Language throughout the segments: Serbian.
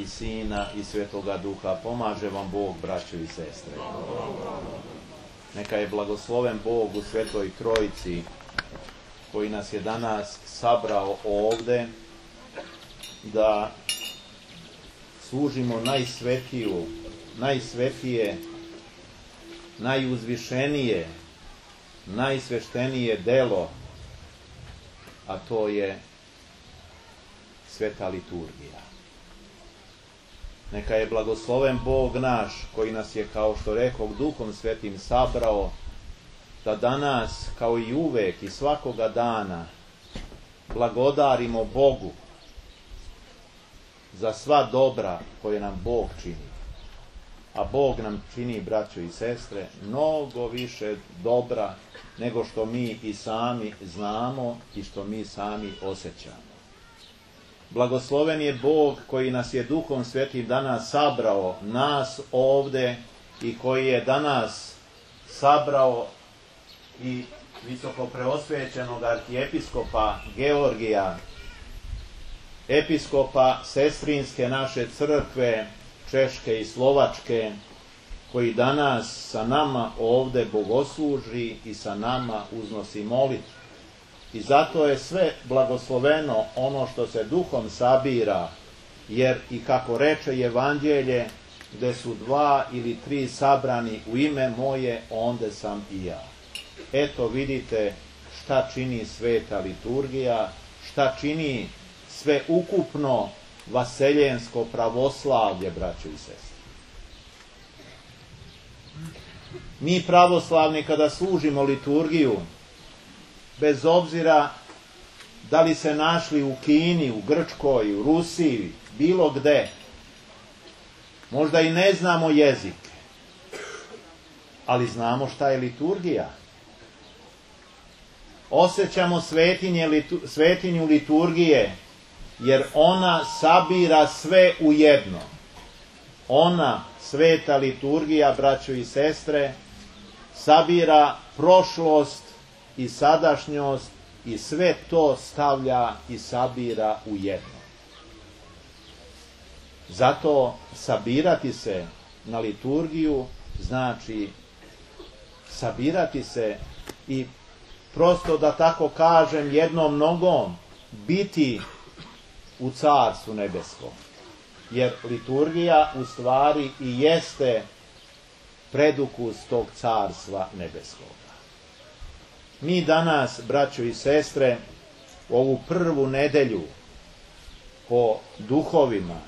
i Sina i Svetoga Duha. Pomaže vam Bog, braćo i sestre. Neka je blagosloven Bog u Svetoj Trojici, koji nas je danas sabrao ovde da služimo najsvetije, najuzvišenije, najsveštenije delo, a to je sveta liturgija. Neka je blagosloven Bog naš, koji nas je, kao što rekoh, Duhom Svetim sabrao, da danas, kao i uvek i svakoga dana, blagodarimo Bogu za sva dobra koje nam Bog čini. A Bog nam čini, braćo i sestre, mnogo više dobra nego što mi i sami znamo i što mi sami osjećamo. Blagosloven je Bog koji nas je Duhom Svetim danas sabrao, nas ovde, i koji je danas sabrao i visoko preosvećenog arhijepiskopa Georgija, episkopa sestrinske naše crkve, Češke i Slovačke, koji danas sa nama ovde bogosluži i sa nama uznosi molitvu. I zato je sve blagosloveno ono što se duhom sabira, jer i kako reče Evanđelje, gde su 2 ili 3 sabrani u ime moje, onde sam i ja. Eto vidite šta čini sveta liturgija, šta čini sve ukupno vaseljensko pravoslavlje, braćo i sestre. Mi pravoslavni kada služimo liturgiju, bez obzira da li se našli u Kini, u Grčkoj, u Rusiji, bilo gde, možda i ne znamo jezik, ali znamo šta je liturgija. Osjećamo svetinju liturgije, jer ona sabira sve u jedno. Ona, sveta liturgija, braćo i sestre, sabira prošlost i sadašnjost i sve to stavlja i sabira u jedno. Zato sabirati se na liturgiju znači sabirati se i prosto, da tako kažem, jednom nogom biti u Carstvu nebeskom. Jer liturgija u stvari i jeste predukus tog Carstva nebeskog. Mi danas, braćo i sestre, ovu prvu nedelju po duhovima,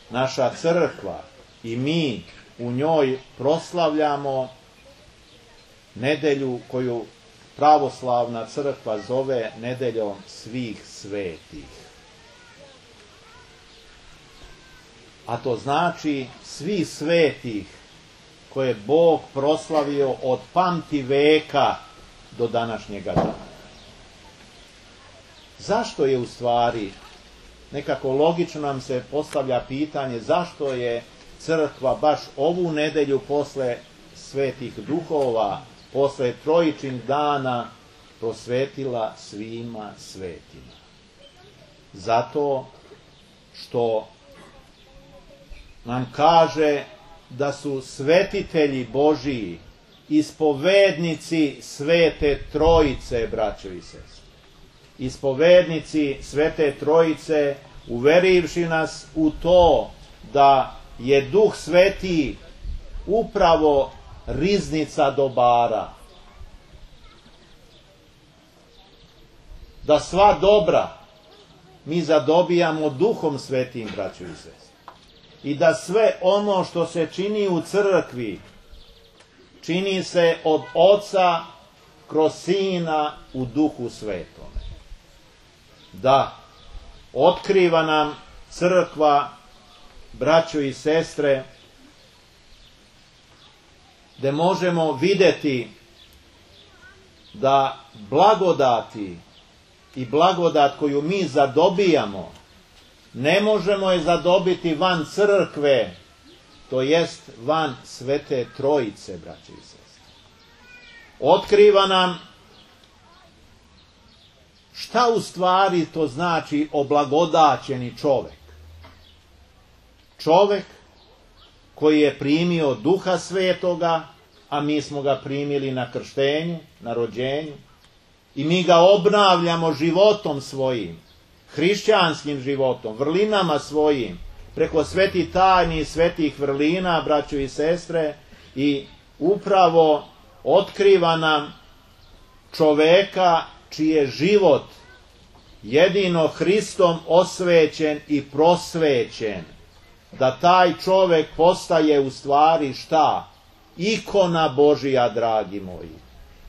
naša crkva i mi u njoj proslavljamo nedelju koju pravoslavna crkva zove nedeljom svih svetih. A to znači svih svetih koje Bog proslavio od pamti veka do današnjega dana. Zašto je u stvari, nekako logično nam se postavlja pitanje, zašto je crkva baš ovu nedelju posle svetih duhova, posle trojičnih dana prosvetila svima svetima? Zato što nam kaže da su svetitelji Božiji ispovednici Svete Trojice, braćo i sestre. Ispovednici Svete Trojice, uverivši nas u to da je Duh Sveti upravo riznica dobara. Da sva dobra mi zadobijamo Duhom Svetim, braćo i sestre. I da sve ono što se čini u crkvi, čini se od Oca kroz Sina u Duhu Svetome. Da, otkriva nam crkva, braćo i sestre, gde možemo vidjeti da blagodati i blagodat koju mi zadobijamo, ne možemo je zadobiti van crkve, to jest van Svete Trojice, braće i sestre. Otkriva nam šta u stvari to znači oblagodaćeni čovek. čovek koji je primio Duha Svetoga, a mi smo ga primili na krštenju, na rođenju, i mi ga obnavljamo životom svojim, hrišćanskim životom, vrlinama svojim, preko svetih tajni i svetih vrlina, braćo i sestre, i upravo otkriva nam čoveka čiji je život jedino Hristom osvećen i prosvećen, da taj čovek postaje u stvari šta? Ikona Božija, dragi moji.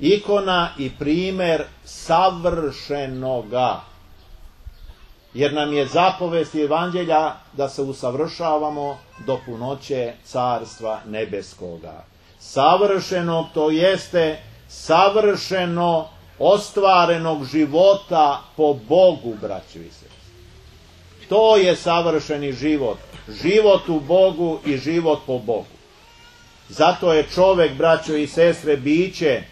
Ikona i primer savršenoga. Jer nam je zapovest evanđelja da se usavršavamo do punoće Carstva nebeskoga. Savršenog, to jeste savršeno ostvarenog života po Bogu, braćo i sestre. To je savršeni život. Život u Bogu i život po Bogu. Zato je čovek, braćo i sestre, biće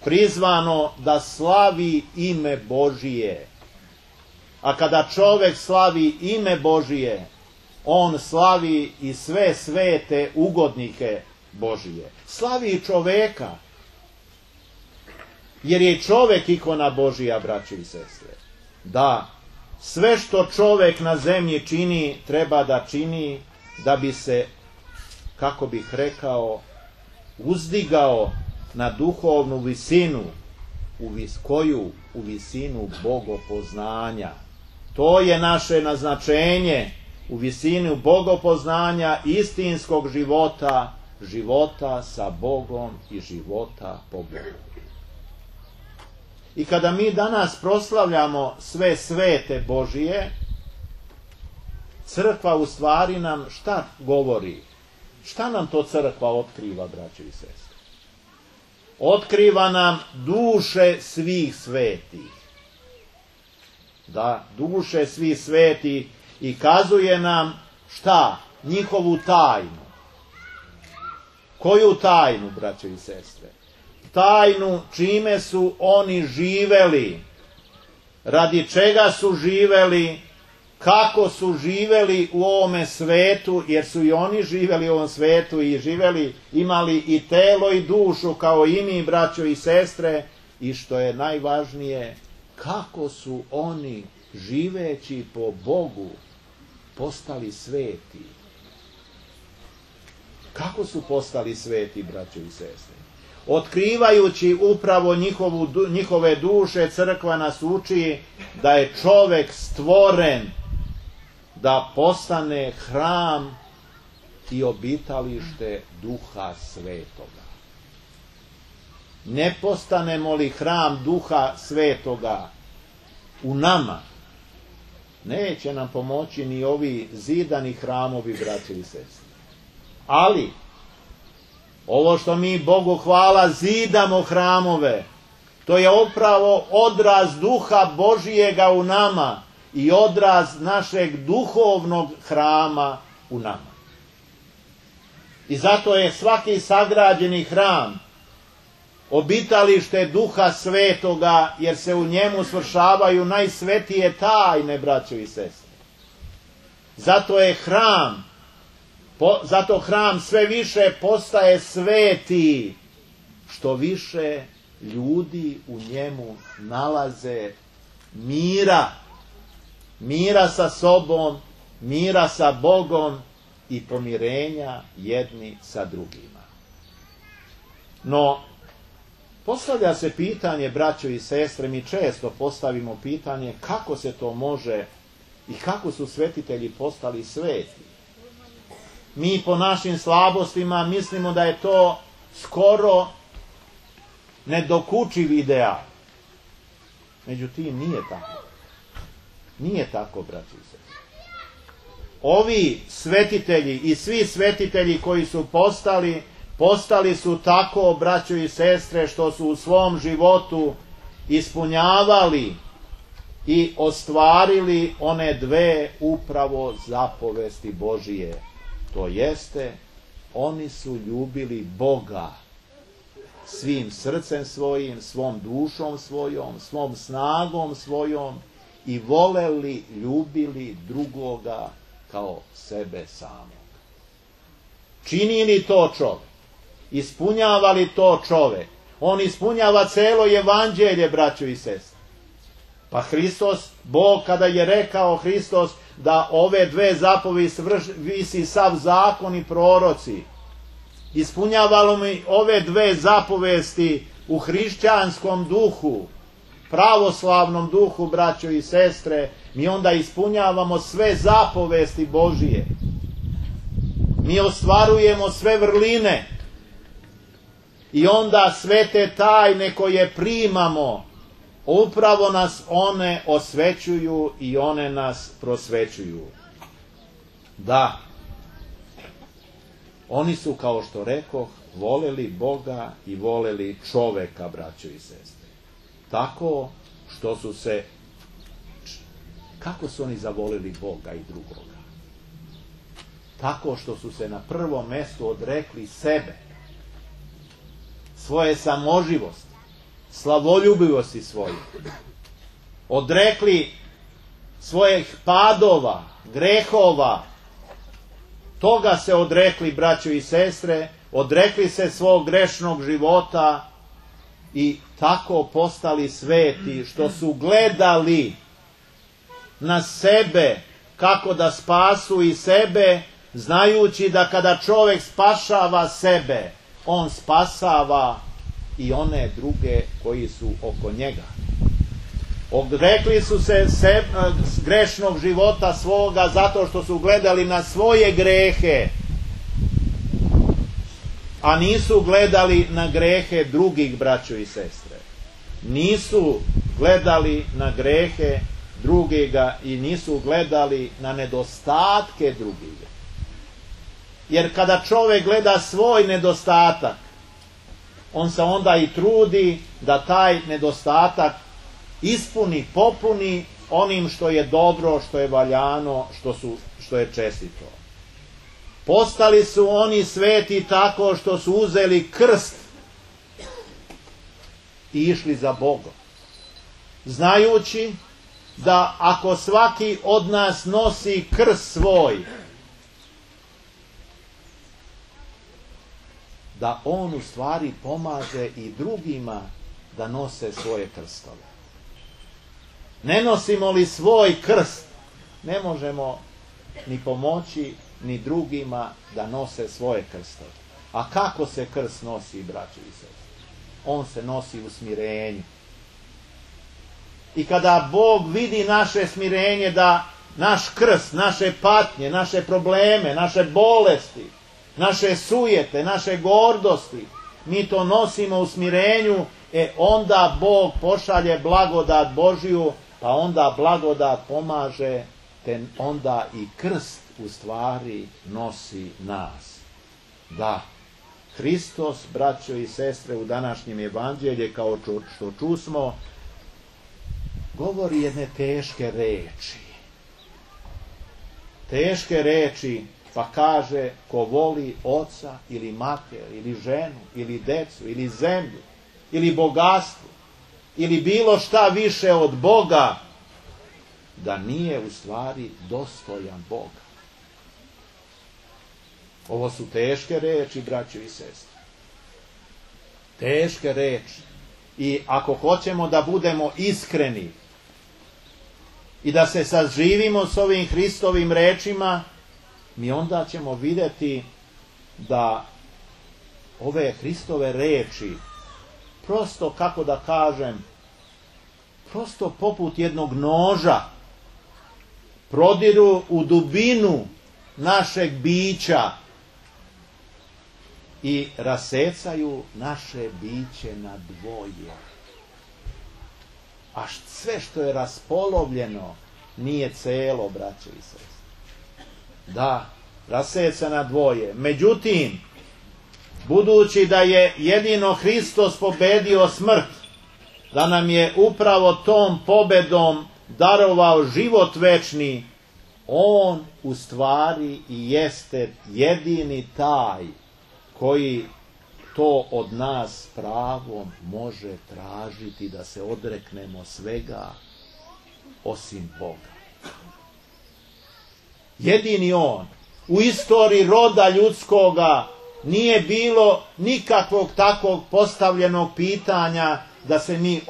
prizvano da slavi ime Božije. A kada čovek slavi ime Božije, on slavi i sve svete ugodnike Božije. Slavi i čoveka. Jer je čovek ikona Božija, braćo i sestre. Da, sve što čovek na zemlji čini, treba da čini da bi se, kako bih rekao, uzdigao na duhovnu visinu, u visinu bogopoznanja. To je naše naznačenje, u visinu bogopoznanja, istinskog života, života sa Bogom i života po Bogu. I kada mi danas proslavljamo sve svete Božije, crkva u stvari nam šta govori? Šta nam to crkva otkriva, braćo i sestre? Otkriva nam duše svih svetih. Da, duše svih svetih, i kazuje nam šta? Njihovu tajnu. Koju tajnu, braćo i sestre? Tajnu čime su oni živeli, radi čega su živeli, kako su živeli u ovome svetu, jer su i oni živeli u ovom svetu i živeli, imali i telo i dušu kao i mi, braćo i sestre, i što je najvažnije, kako su oni, živeći po Bogu, postali sveti. Kako su postali sveti, braćo i sestre? Otkrivajući upravo njihove duše, crkva nas uči da je čovek stvoren da postane hram i obitalište Duha Svetoga. Ne postanemo li hram Duha Svetoga u nama, neće nam pomoći ni ovi zidani hramovi, braće i sestre. Ali ovo što mi, Bogu hvala, zidamo hramove, to je upravo odraz Duha Božijega u nama i odraz našeg duhovnog hrama u nama. I zato je svaki sagrađeni hram obitalište Duha Svetoga, jer se u njemu svršavaju najsvetije tajne, braćo i sestre. Zato hram sve više postaje sveti, što više ljudi u njemu nalaze mira sa sobom, mira sa Bogom i pomirenja jedni sa drugima. No, postavlja se pitanje, braćo i sestre, mi često postavimo pitanje kako se to može i kako su svetitelji postali sveti. Mi po našim slabostima mislimo da je to skoro nedokučiv ideal. Međutim, nije tako. Nije tako, braći i sestre. Ovi svetitelji i svi svetitelji koji su postali su tako, braćo i sestre, što su u svom životu ispunjavali i ostvarili one dve upravo zapovesti Božije. To jeste, oni su ljubili Boga svim srcem svojim, svom dušom svojom, svom snagom svojom i voleli, ljubili drugoga kao sebe samog. Čini li to čovjek? Ispunjava li to čovjek? On ispunjava celo evanđelje, braćo i sestre. Pa Hristos, Bog kada je rekao Hristos da ove dve zapovesti visi sav zakon i proroci, ispunjavalo mi ove dve zapovesti u hrišćanskom duhu, pravoslavnom duhu, braćo i sestre, mi onda ispunjavamo sve zapovesti Božije. Mi ostvarujemo sve vrline i onda sve te tajne koje primamo, upravo nas one osvećuju i one nas prosvećuju. Da, oni su, kao što rekoh, voleli Boga i voleli čoveka, braćo i sestre. Tako što su se... Kako su oni zavolili Boga i drugoga? Tako što su se na prvom mjestu odrekli sebe, svoje samoživosti, slavoljubivosti svoje. Odrekli svojih padova, grehova, toga se odrekli, braćo i sestre, odrekli se svog grešnog života i tako postali sveti, što su gledali na sebe kako da spasu i sebe, znajući da kada čovjek spašava sebe, on spasava i one druge koji su oko njega. Odrekli su se grešnog života svoga zato što su gledali na svoje grehe, a nisu gledali na grehe drugih, braćo i sestre. Nisu gledali na grehe drugega i nisu gledali na nedostatke drugega. Jer kada čovjek gleda svoj nedostatak, on se onda i trudi da taj nedostatak ispuni, popuni onim što je dobro, što je valjano, što je čestito. Postali su oni sveti tako što su uzeli krst i išli za Bogom, znajući da ako svaki od nas nosi krst svoj, da on u stvari pomaže i drugima da nose svoje krstove. Ne nosimo li svoj krst, ne možemo ni pomoći ni drugima da nose svoje krstove. A kako se krst nosi, braćo i sestre? On se nosi u smirenju. I kada Bog vidi naše smirenje, da naš krst, naše patnje, naše probleme, naše bolesti, naše sujete, naše gordosti, mi to nosimo u smirenju, onda Bog pošalje blagodat Božiju, pa onda blagodat pomaže, te onda i krst u stvari nosi nas. Da, Hristos, braćo i sestre, u današnjem evanđelju, kao što čusmo, govori jedne teške reči. Teške reči, pa kaže, ko voli oca ili mater, ili ženu, ili decu, ili zemlju, ili bogatstvo, ili bilo šta više od Boga, da nije u stvari dostojan Boga. Ovo su teške reči, braćo i sestre. Teške reči. I ako hoćemo da budemo iskreni i da se saživimo s ovim Hristovim rečima, mi onda ćemo vidjeti da ove Hristove reči, prosto, kako da kažem, prosto poput jednog noža, prodiru u dubinu našeg bića i rasecaju naše biće na dvoje. A sve što je raspolovljeno nije celo, braćo i sestre. Da, raseca na dvoje. Međutim, budući da je jedino Hristos pobedio smrt, da nam je upravo tom pobedom darovao život večni, on u stvari i jeste jedini taj koji to od nas pravom može tražiti, da se odreknemo svega osim Boga. Jedini on. U istoriji roda ljudskoga nije bilo nikakvog takvog postavljenog pitanja da se mi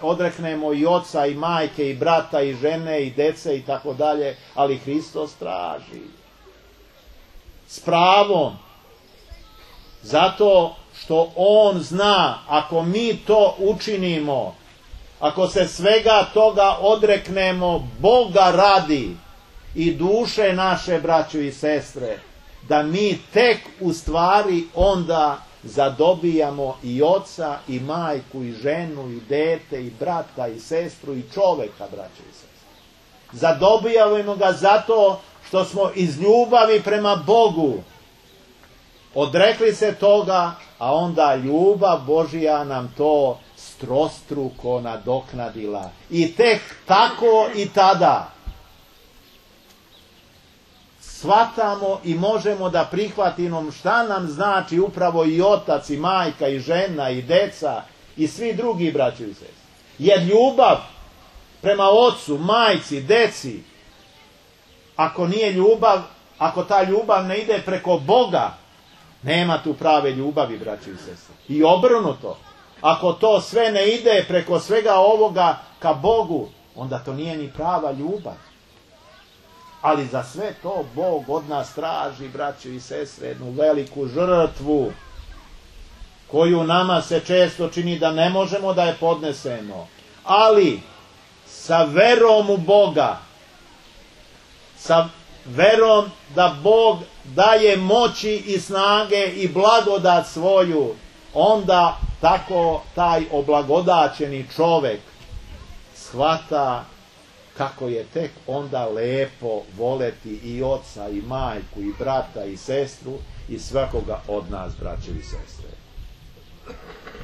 odreknemo i oca i majke i brata i žene i dece i tako dalje, ali Hristos traži. S pravom. Zato što on zna, ako mi to učinimo, ako se svega toga odreknemo Boga radi i duše naše, braćo i sestre, da mi tek u stvari onda zadobijamo i oca i majku i ženu i dete i brata i sestru i čoveka, braćo i sestre. Zadobijamo ga zato što smo iz ljubavi prema Bogu odrekli se toga, a onda ljubav Božija nam to strostruko nadoknadila. I tek tako i tada shvatamo i možemo da prihvatimo šta nam znači upravo i otac i majka i žena i deca i svi drugi, braćo i sestre. Jer ljubav prema ocu, majci, deci, ako nije ljubav, ako ta ljubav ne ide preko Boga, nema tu prave ljubavi, braćo i sestre. I obrnuto, ako to sve ne ide preko svega ovoga ka Bogu, onda to nije ni prava ljubav. Ali za sve to Bog od nas traži, braćo i sestre, jednu veliku žrtvu, koju nama se često čini da ne možemo da je podnesemo. Ali sa verom u Boga, sa verom da Bog daje moći i snage i blagodat svoju, onda tako taj oblagodaćeni čovek shvata kako je tek onda lepo voleti i oca i majku i brata i sestru i svakoga od nas, braće i sestre.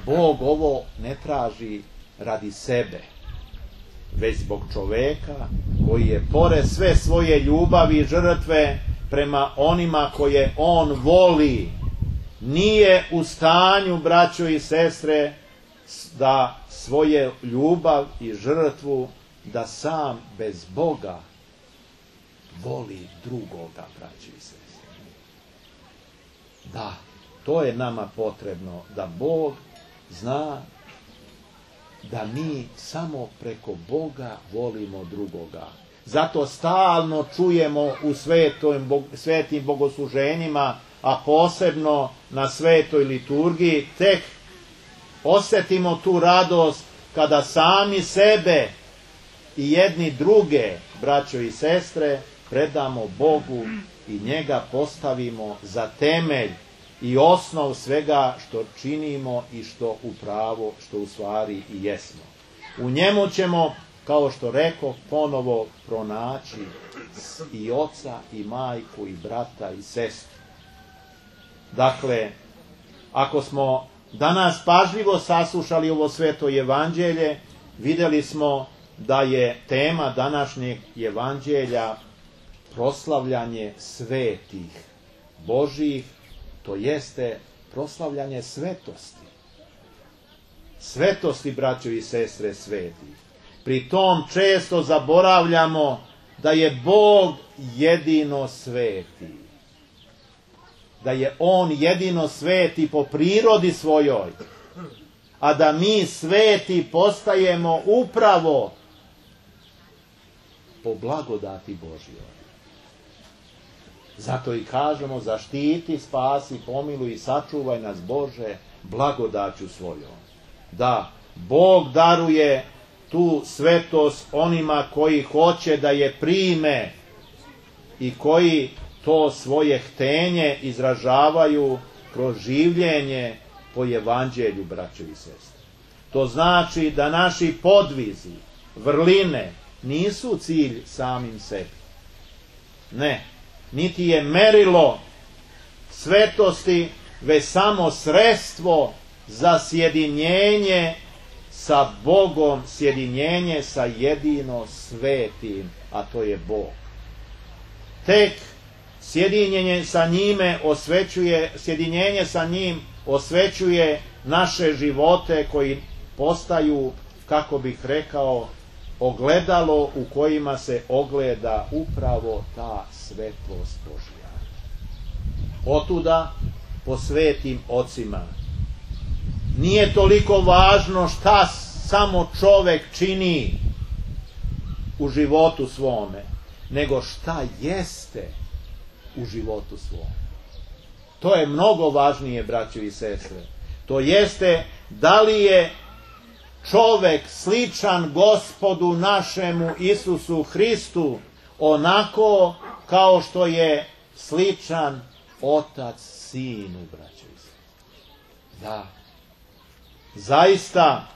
Bog ovo ne traži radi sebe, već zbog čoveka koji je pored sve svoje ljubavi i žrtve prema onima koje on voli, nije u stanju, braćo i sestre, da svoje ljubav i žrtvu, da sam bez Boga voli drugoga, braćo i sestre. Da, to je nama potrebno, da Bog zna da mi samo preko Boga volimo drugoga. Zato stalno čujemo u svetim bogosluženjima, a posebno na svetoj liturgiji, tek osjetimo tu radost kada sami sebe i jedni druge, braćo i sestre, predamo Bogu i njega postavimo za temelj i osnov svega što činimo i što upravo, što u stvari i jesmo. U njemu ćemo, kao što rekao, ponovo pronaći i oca i majku i brata i sestru. Dakle, ako smo danas pažljivo saslušali ovo sveto evanđelje, vidjeli smo da je tema današnjeg evanđelja proslavljanje svetih Božjih, to jeste proslavljanje svetosti. Svetosti, braćo i sestre, svetih. Pri tom često zaboravljamo da je Bog jedino sveti. Da je on jedino sveti po prirodi svojoj. A da mi sveti postajemo upravo po blagodati Božjoj. Zato i kažemo, zaštiti, spasi, pomiluj i sačuvaj nas, Bože, blagodaću svojom. Da, Bog daruje tu svetost onima koji hoće da je prime i koji to svoje htenje izražavaju kroz življenje po evanđelju, braćo i sestre. To znači da naši podvizi, vrline, nisu cilj samim sebi. Ne, niti je merilo svetosti, već samo sredstvo za sjedinjenje sa Bogom, sjedinjenje sa jedino svetim, a to je Bog. Tek sjedinjenje sa njime sjedinjenje sa njim osvećuje naše živote koji postaju, kako bih rekao, ogledalo u kojima se ogleda upravo ta svetlost Božja. Otuda po svetim ocima nije toliko važno šta samo čovek čini u životu svome, nego šta jeste u životu svome. To je mnogo važnije, braćo i sestre. To jeste da li je čovek sličan Gospodu našemu Isusu Hristu onako kao što je sličan Otac Sinu, braćo i sestre. Da. Zaista,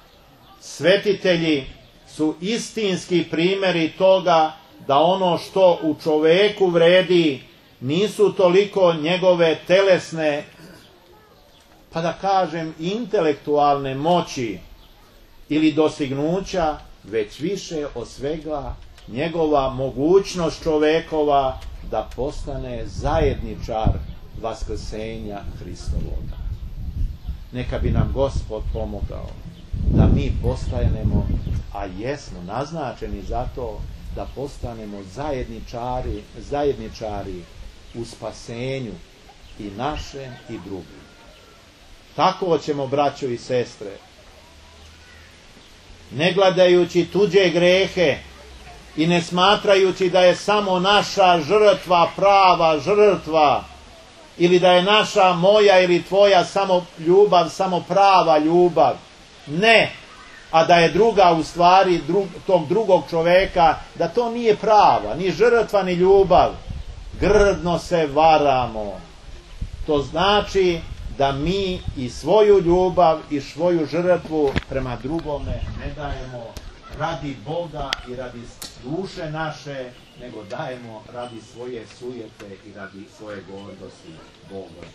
svetitelji su istinski primjeri toga da ono što u čoveku vredi nisu toliko njegove telesne, pa da kažem intelektualne moći ili dostignuća, već više od svega njegova mogućnost čovekova da postane zajedničar vaskrsenja Hristovoga. Neka bi nam Gospod pomogao da mi postanemo, a jesmo naznačeni za to, da postanemo zajedničari u spasenju i našem i drugim. Tako ćemo, braćo i sestre, ne gledajući tuđe grehe i ne smatrajući da je samo naša žrtva prava žrtva, ili da je naša, moja ili tvoja samo ljubav, samo prava ljubav. Ne, a da je druga u stvari tog drugog čoveka, da to nije prava, ni žrtva, ni ljubav. Grdno se varamo. To znači da mi i svoju ljubav i svoju žrtvu prema drugome ne dajemo radi Boga i radi duše naše, nego dajemo radi svoje sujete i radi svoje gordosti Boga.